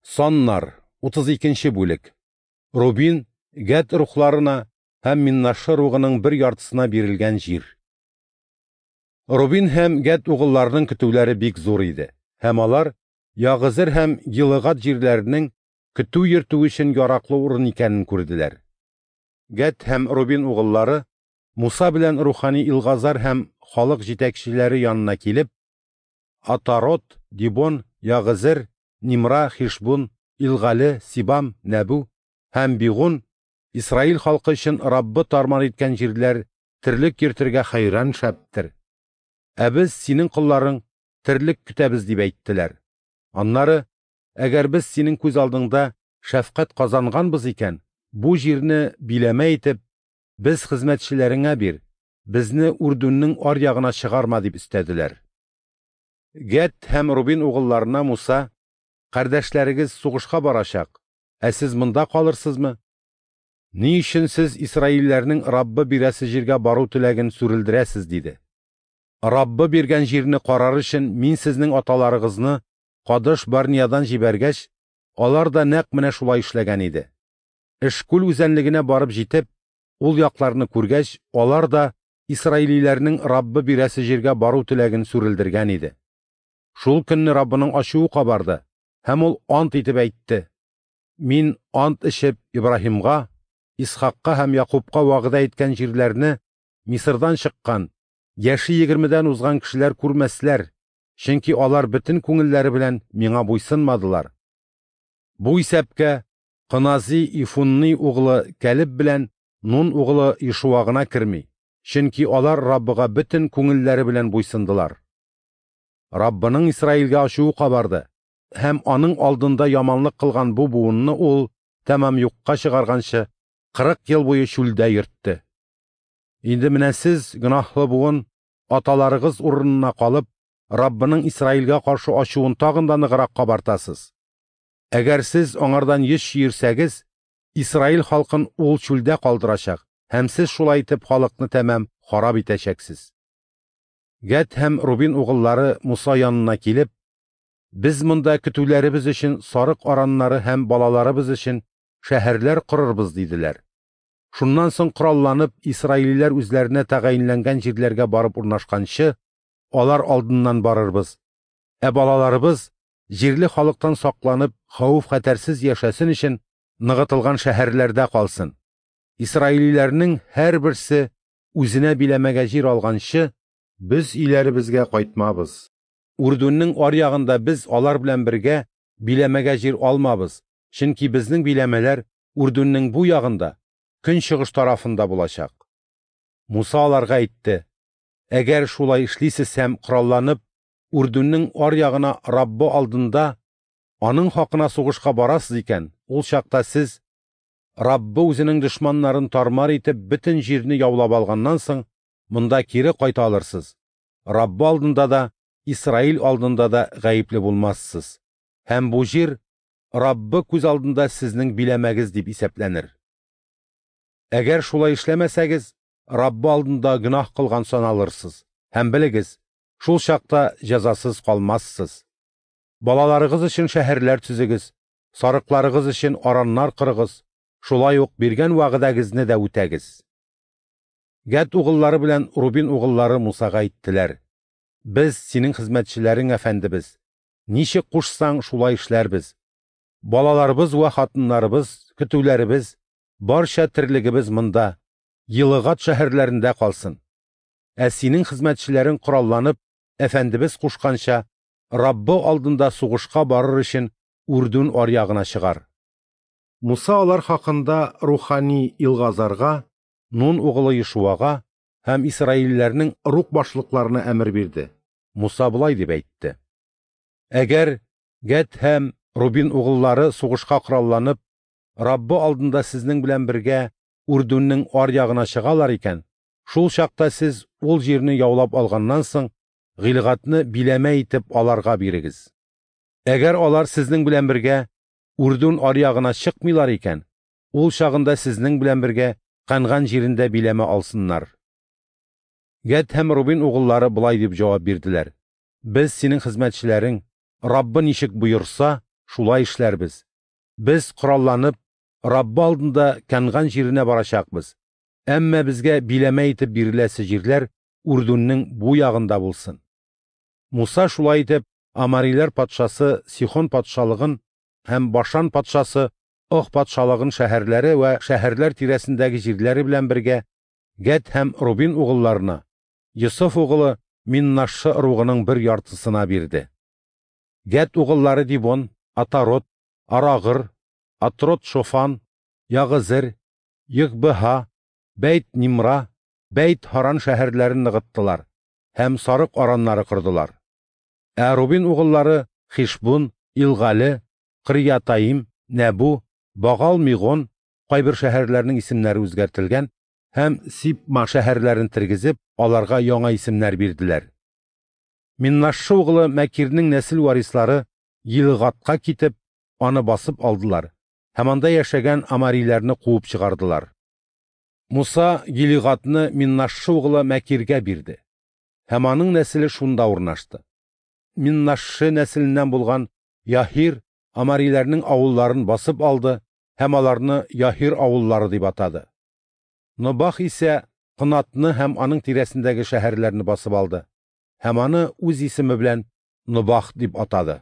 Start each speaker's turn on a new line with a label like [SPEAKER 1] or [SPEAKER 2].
[SPEAKER 1] Саннар, 32 бүлек. Рубин, Гәд рухларына һәм Миннашшы ругының бер яртысына бирелгән җир. Рубин һәм Гәд угылларының көтүләре бик зур иде, һәм алар Ягызер һәм Гилыгад җирләренең көтү йөртү өчен яраклы урын икәнен күрделәр. Гәд һәм Рубин угыллары Муса белән рухани Илгазар һәм халык җитәкчеләре янына килеп, Атарот, Дибон, Ягызер, Нимра, Хишбун, Илгале, Сибам, Нәбү һәм Бигун Исраил халкы өчен Раббы тармар иткән җирләр терлек йөртергә хәйран шәптер. Ә без, синең колларың, терлек көтәбез, дип әйттеләр. Аннары, әгәр без синең күз алдыңда шәфкать казанганбыз икән, бу җирне биләмә итеп, без хезмәтчеләреңә бир, безне Үрдүннең аръягына чыгарма, дип өстәделәр. Гәд һәм Рубин угылларына Муса: Кардәшләрегез сугышка барачак, ә сез монда калырсызмы? Ни өчен сез исраилләрнең Раббы бирәсе җиргә бару теләген сүрелдерәсез? – диде. Раббы биргән җирне карар өчен мин сезнең аталарыгызны Кадыш Барниядан җибәргәч, алар да нәкъ менә шулай эшләгән иде. Эшкүл үзәнлегенә барып җитеп, ул якларны күргәч, алар да исраилиләрнең Раббы бирәсе җиргә бару теләген сүрелдергән иде. Шул көнне Раббының ачуы кабарды, һәм ул ант итеп әйтте: Мин ант эчеп Ибраһимга, Исхакка һәм Якубка вәгъдә иткән җирләрне Мисырдан чыккан, яше 20дән узган кешеләр күрмәсләр, чөнки алар бөтен күңелләре белән миңа буйсынмадылар. Бу исәпкә Кынази Ифунни углы Кәлеб белән Нун углы Ишуа гына керми, чөнки алар Раббыга бөтен күңелләре белән буйсындылар. Раббының Исраилгә ачуы кабарды, һәм аның алдында яманлык кылган бу буынны ул тәмам юкка чыгарганчы 40 ел буе чүлдә йөртте. Инде менә сез, гөнаһлы буын, аталарыгыз урынына калып, Раббының Исраилгә каршы ачуын тагын да ныграк кабартасыз. Әгәр сез аңардан йөз чөерсәгез, Исраил халкын ул чүлдә калдырачак, һәм сез шулай итеп халыкны тәмам харап итәчәксез. Гәд һәм Рубин угыллары Муса янына килеп, без монда көтүләребез өчен сарык араннары һәм балаларыбыз өчен шәһәрләр корырбыз, диделәр. Шуннан соң коралланып, исраилиләр үзләренә тәгаенләнгән җирләргә барып урнашканчы, алар алдыннан барырбыз. Ә балаларыбыз җирле халыктан сакланып, хәвеф-хәтәрсез яшәсен өчен ныгытылган шәһәрләрдә калсын. Исраилиләрнең һәрберсе үзенә биләмәгә җир алганчы, без өйләребезгә кайтмабыз. Үрдүннең аръягында без алар белән бергә биләмәгә җир алмабыз, чөнки безнең биләмәләр Үрдүннең бу ягында, көнчыгыш тарафында булачак. Муса аларга әйтте: Әгәр шулай эшлисез һәм коралланып, Үрдүннең аръягына Раббы алдында аның хакына сугышка барасыз икән, ул чакта сез Раббы үзенең дошманнарын тармар итеп бөтен җирне яулап алганнан соң монда кире кайта алырсыз. Раббы алдында да, Исраил алдында да гаепле булмассыз. Һәм бу җир Раббы күз алдында сезнең биләмәгез дип исәпләнер. Әгәр шулай эшләмәсәгез, Раббы алдында гөнаһ кылган саналырсыз. Һәм белегез, шул чакта җәзасыз калмассыз. Балаларыгыз өчен шәһәрләр төзегез, сарыкларыгыз өчен араннар корыгыз, шулай ук биргән вәгъдәгезне дә үтәгез. Гәд угыллары белән Рубин угыллары Мусага әйттеләр: Без синең хезмәтчеләрең, әфәндебез. Ничек кушсаң, шулай эшләрбез. Балаларыбыз вә хатыннарыбыз, көтүләребез, барча терлегебез монда, Елыгат шәһәрләрендә калсын. Ә синең хезмәтчеләрең коралланып, әфәндебез кушканча, Раббы алдында сугышка барыр өчен Үрдүн аръягына чыгар. Муса алар хакында рухани Илгазарга, Нун угылы Ешуага һәм исраилләрнең рух башлыкларына әмер бирде. Муса болай дип әйтте: Әгәр Гәд һәм Рубин угыллары сугышка коралланып, Раббы алдында сезнең белән бергә Үрдүннең аръягына чыгалар икән, шул чакта сез ул җирне яулап алганнан соң Гыйлгатны биләмә итеп аларга бирегез. Әгәр алар сезнең белән бергә Үрдүн аръягына чыкмыйлар икән, ул чагында сезнең белән бергә Канган җирендә биләмә алсыннар. Гәд һәм Рубин угыллары болай дип җавап бирделәр: Без синең хезмәтчеләрең, Раббы ничек боерса, шулай эшләрбез. Без, коралланып, Раббы алдында Кәнган җиренә барачакбыз, әмма безгә биләмә итеп биреләсе җирләр Үрдүннең бу ягында булсын. Муса, шулай итеп, амориләр патшасы Сихон патшалыгын һәм Башан патшасы Ог патшалыгын шәһәрләре вә шәһәрләр тирәсендәге җирләре белән бергә Гәд һәм Рубин угылларына, Йосыф угылы Миннашшы ыругының бер яртысына бирде. Гәд угыллары Дибон, Атарот, Арагыр, Атрот-Шофан, Ягызер, Йөгбеһа, Бәйт-Нимра, Бәйт-Һаран шәһәрләрен ныгыттылар һәм сарык араннары кордылар. Ә Рубин угыллары Хишбун, Илгале, Кырьятаим, Нәбу, Багал-Мигон, кайбер шәһәрләрнең исемнәре үзгәртелгән, һәм Сибма шәһәрләрен тергезеп, аларга яңа исемнәр бирделәр. Миннашшы угылы Мәкирнең нәсел варислары Гилгадка китеп, аны басып алдылар һәм анда яшәгән амориләрне куып чыгардылар. Муса Гилигадны Миннашшы угылы Мәкиргә бирде, һәм аның нәселе шунда урнашты. Миннашшы нәселеннән булган Яһир амориләрнең авылларын басып алды һәм аларны Яһир авыллары дип атады. Нобах исә Кынатны һәм аның тирәсендәге шәһәрләрне басып алды һәм аны үз исеме белән Нобах дип атады.